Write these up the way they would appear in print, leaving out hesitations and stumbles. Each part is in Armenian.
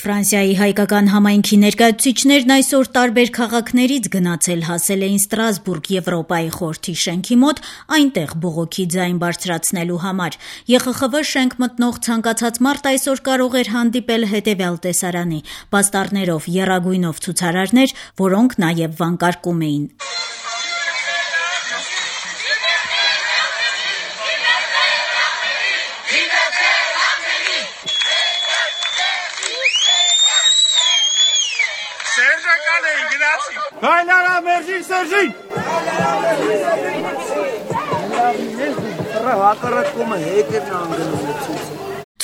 Ֆրանսիայի հայկական համայնքի ներկայացուցիչներն այսօր տարբեր քաղաքներից գնացել հասել էին Ստրասբուրգ Եվրոպայի խորհրդի շենքի մոտ, այնտեղ բողոքի ձայն բարձրացնելու համար։ ԵԽԽՎ շենք մտնող ցանկացած մարդ այսօր կարող էր հանդիպել հետևյալ տեսարանի՝ պաստառներով, եռագույնով ցուցարարներ, որոնք նաև վանկարկում էին. Հայլարա մերժին Սերժին!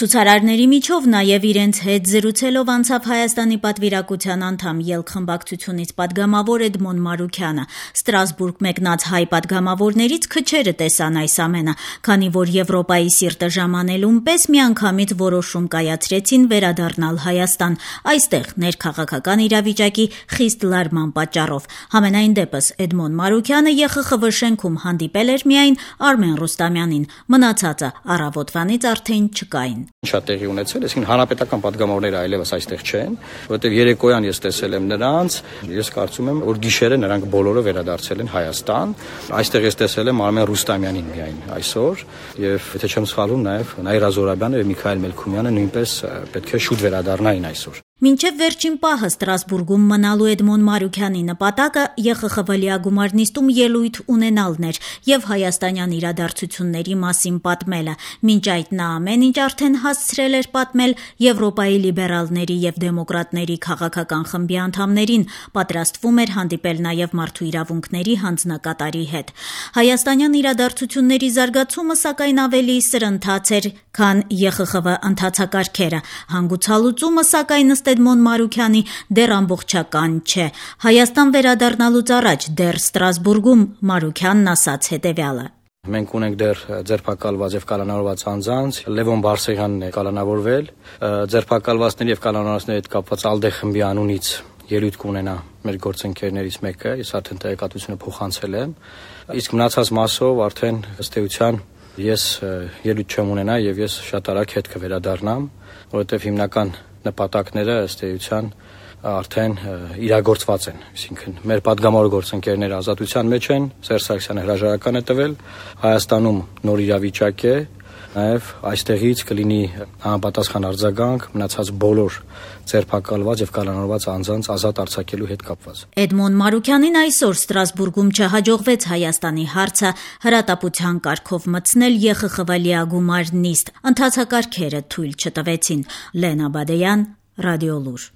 Ցուցարարների միջով նաև իրենց հետ զրուցելով անցավ Հայաստանի պատվիրակության անդամ ելք խմբակցությունից պատգամավոր Էդմոն Մարուքյանը։ Ստրասբուրգ մեկնած հայ պատգամավորներից քչերը տեսան այս ամենը, քանի որ Եվրոպայի սիրտը ժամանելուն պես միանգամից որոշում կայացրեցին վերադառնալ Հայաստան, այստեղ ներքաղաքական իրավիճակի խիստ լարման պատճառով։ Համենայն դեպս Էդմոն Մարուքյանը ԵԽԽՎ շենքում հանդիպել էր միայն Արմեն Ռուստամյանին, մնացածը առավոտվանից արդեն չկային։ Ինչա տեղի ունեցել, այսինքն հանրապետական պատգամավորները այլևս այստեղ չեն, որովհետև երեկոյան ես տեսել եմ նրանց, ես կարծում եմ, որ գիշերը նրանք բոլորը վերադարձել են Հայաստան։ Այստեղ ես տեսել եմ Արմեն Ռուստամյանին միայն այսօր, եւ եթե չեմ սխալվում, նաև Նաիրա Զորաբյանը եւ Միքայել Մելքումյանը նույնպես պետք է շուտ վերադառնային այսօր։ Մինչև վերջին պահը Ստրասբուրգում մնալու Էդմոն Մարուքյանի նպատակը ԵԽԽՎ լիագումար նիստում ելույթ ունենալն էր եւ հայաստանյան իրադարձությունների մասին պատմելը։ Մինչ այդ նա ամեն ինչ արդեն հասցրել էր պատմել Եվրոպայի լիբերալների եւ դեմոկրատների քաղաքական խմբի անդամներին, պատրաստվում էր հանդիպել նաեւ մարդու իրավունքների հանձնակատարի հետ։ Հայաստանյան իրադարձությունների զարգացումը սակայն ավելի սրընթաց էր, քան ԵԽԽՎ ընթացակարգերը։ Հանգուցալուծումը սակայն Էդմոն Մարուքյանի դեռ ամբողջական չէ։ Հայաստան վերադառնալուց առաջ դեռ Ստրասբուրգում Մարուքյանն ասաց հետևյալը. Մենք ունենք դեռ ձերբակալված եւ կալանավորված անձանց, Լևոն Բարսեղյանն է կալանավորվել, ձերբակալվածների եւ կալանավորվածների հետ կապված ԱԼԴԵ խմբի անունից ելույթ կունենա մեր գործընկերներից մեկը, ես արդեն տեղեկատվությունը փոխանցել եմ, իսկ մնացած մասով արդեն ըստ էության ես ելույթ չեմ ունենա եւ ես շատ արագ հետ կվերադառնամ, որովհետեւ հիմնական նպատակները ըստ էության արդեն իրագործված են, այսինքն մեր падգամավոր գործընկերները ազատության մեջ են, Սերժ Սարգսյանը հրաժարական է տվել, Հայաստանում նոր իրավիճակ է, նաև այստեղից կլինի համապատասխան արձագանք մնացած բոլոր ձերբակալված եւ կալանավորված անձանց ազատ արձակելու հետ կապված։ Էդմոն Մարուքյանին այսօր Ստրասբուրգում չհաջողվեց Հայաստանի հարցը հրատապության կարգով մտցնել ԵԽԽՎ լիագումար նիստ, ընթացակարգերը թույլ չտվեցին։ Լենա Բադեյան, Ռադիոլուր։